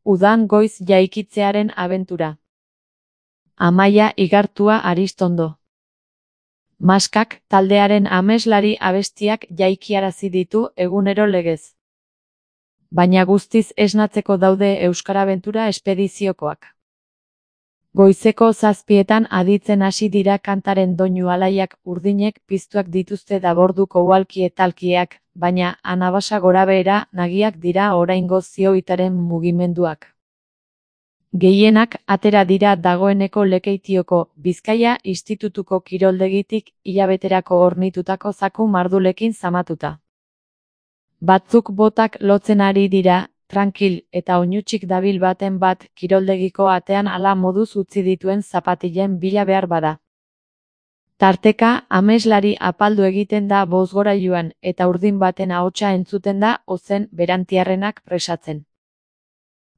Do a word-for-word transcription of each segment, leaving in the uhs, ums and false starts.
Udan goiz jaikitzearen abentura. Amaia Igartua Aristondo. Maskak taldearen ameslari abestiak jaikiarazi ditu egunero legez. Baina guztiz esnatzeko daude Euskarabentura espediziokoak. Goizeko zazpietan aditzen hasi dira kantaren doinu alaiak urdinek piztuak dituzte daborduko uhalki etalkiak, baina anabasa gorabehera nagiak dira oraingo zioitaren mugimenduak. Gehienak atera dira dagoeneko Lekeitioko Bizkaia Institutuko kiroldegitik hilabeterako hornitutako zaku mardulekin zamatuta. Batzuk botak lotzen ari dira, trankil eta oinutsik dabil baten bat kiroldegiko atean hala moduz utzi dituen zapatilen bila behar bada. Tarteka ameslari apaldu egiten da bozgorailuan eta urdin baten ahotsa entzuten da ozen berantiarrenak presatzen.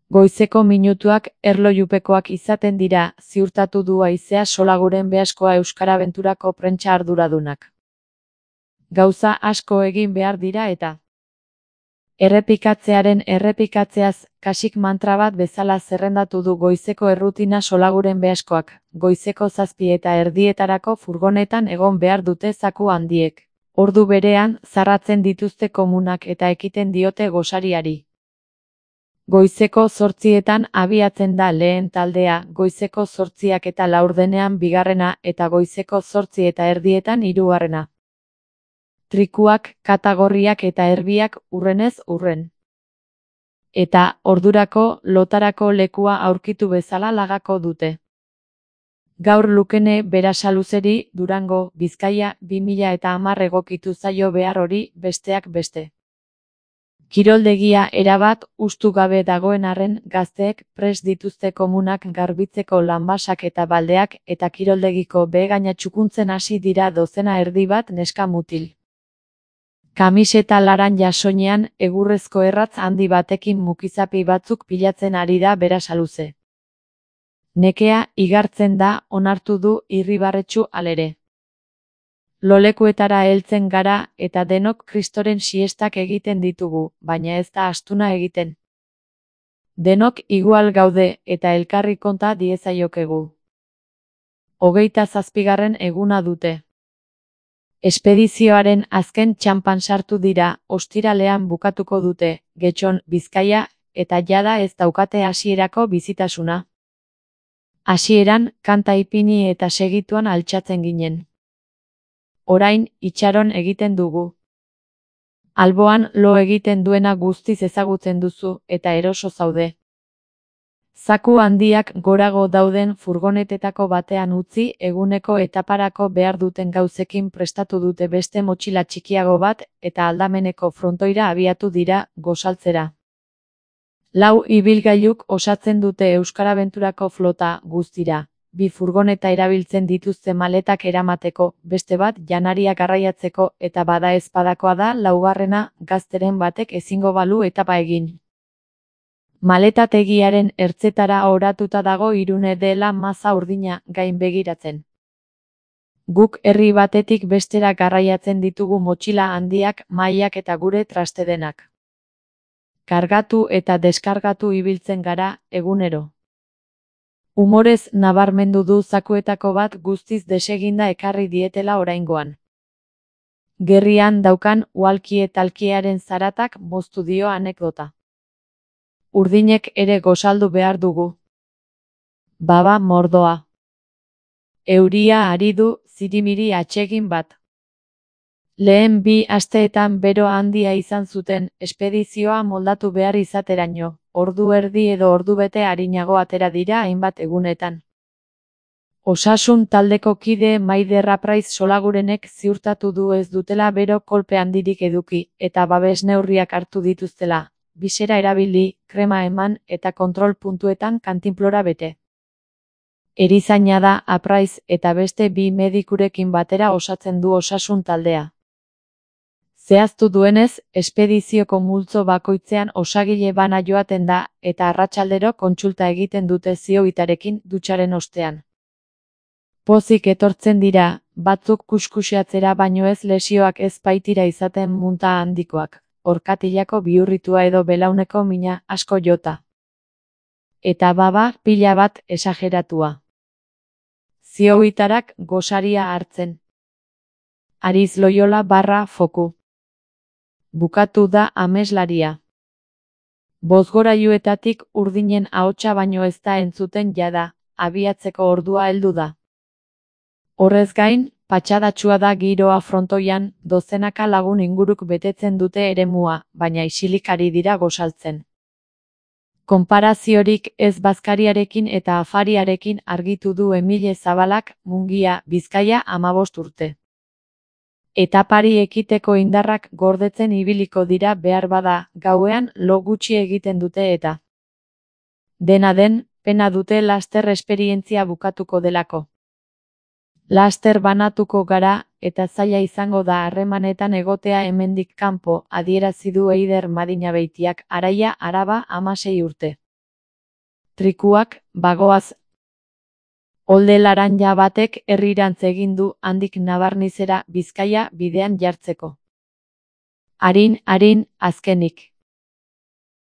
Goizeko minutuak erlojupekoak izaten dira, ziurtatu du haizea Solaguren Beaskoa Euskarabenturako prentsa arduradunak. Gauza asko egin behar dira eta errepikatzearen errepikatzeaz kasik mantra bat bezala zerrendatu du goizeko errutina Solaguren Beaskoak, goizeko zazpi eta erdietarako furgonetan egon behar dute zaku handiek. Ordu berean zarratzen dituzte komunak eta ekiten diote gosariari. Goizeko zortzietan abiatzen da lehen taldea, goizeko zortziak eta laurdenean bigarrena eta goizeko zortzi eta erdietan hirugarrena. Trikuak, katagorriak eta erbiak urrenez urren. Eta, ordurako, lotarako lekua aurkitu bezala lagako dute. Gaur Lukene Berasaluzeri Durango, Bizkaia, bi mila eta hamar egokitu zaio behar hori besteak beste. Kiroldegia erabat hustu gabe dagoen arren gazteek prest dituzte komunak garbitzeko lanbasak eta baldeak eta kiroldegiko behegaina txukuntzen hasi dira dozena erdi bat neska mutil. Kamiseta laranja soinean egurrezko erratz handi batekin mukizapi batzuk pilatzen ari da Berasaluze. Nekea igartzen da onartu du Irribarretxu alere. Lolekuetara heltzen gara eta denok Kristoren siestak egiten ditugu, baina ez da astuna egiten. Denok igual gaude eta elkarri konta diezaiokegu. Hogeita zazpigarren eguna dute. Espedizioaren azken txanpan sartu dira, ostiralean bukatuko dute, Getxon, Bizkaia, eta jada ez daukate hasierako bizitasuna. Hasieran, kanta ipini eta segituan altxatzen ginen. Orain, itxaron egiten dugu. Alboan lo egiten duena guztiz ezagutzen duzu eta eroso zaude. Zaku handiak gorago dauden furgonetetako batean utzi eguneko etaparako behar duten gauzekin prestatu dute beste motxila txikiago bat eta aldameneko frontoira abiatu dira gosaltzera. Lau ibilgailuk osatzen dute Euskarabenturako flota guztira. Bi furgoneta erabiltzen dituzte maletak eramateko, beste bat janaria garraiatzeko eta bada ezpadakoa da laugarrena gazteren batek ezingo balu etapa egin. Maletategiaren ertzetara oratuta dago Irune dela maza urdina gain begiratzen. Guk herri batetik bestera garraiatzen ditugu motxila handiak, mailak eta gure trastedenak. Kargatu eta deskargatu ibiltzen gara egunero. Umorez nabarmendu du zakuetako bat guztiz deseginda ekarri dietela oraingoan. Gerrian daukan uhalki etalkiaren zaratak moztu dio anekdota. Urdinek ere gosaldu behar dugu. Baba mordoa. Euria ari du zirimiri atsegin bat. Lehen bi asteetan bero handia izan zuten, espedizioa moldatu behar izateraino. Ordu erdi edo ordu bete arinago atera dira hainbat egunetan. Osasun taldeko kide Maider Apraiz Solagurenek ziurtatu du ez dutela bero kolpe handirik eduki, eta babes neurriak hartu dituztela, bisera erabili, krema eman eta kontrol puntuetan kantinplora bete. Erizaina da Apraiz eta beste bi medikurekin batera osatzen du osasun taldea. Zehaztu duenez, espedizioko multzo bakoitzean osagile bana joaten da eta arratsaldero kontsulta egiten dute zioitarekin dutxaren ostean. Pozik etortzen dira, batzuk kuskusiatzera baino ez lesioak ez baitira izaten munta handikoak, orkatilako bihurritua edo belauneko mina asko jota. Eta baba pila bat esageratua. Zioitarak gosaria hartzen. Ariz Loyola barra foku. Bukatu da ameslaria. Bozgorailuetatik urdinen ahotsa baino ez da entzuten jada, abiatzeko ordua heldu da. Horrez gain, patxadatsua da giroa frontoian, dozenaka lagun inguruk betetzen dute eremua, baina isilik ari dira gosaltzen. Konparaziorik ez bazkariarekin eta afariarekin argitu du Emile Zabalak, Mungia, Bizkaia hamabost urte. Etapari ekiteko indarrak gordetzen ibiliko dira behar bada, gauean lo gutxi egiten dute eta. Dena den, pena dute laster esperientzia bukatuko delako. Laster banatuko gara, eta zaila izango da harremanetan egotea hemendik kanpo, adierazi du Eider Madinabeitiak, Araia, Araba, hamasei urte. Trikuak, bagoaz. Olde laranja batek herrirantz egin du handik Nabarnizera, Bizkaia bidean jartzeko. Arin, arin, azkenik.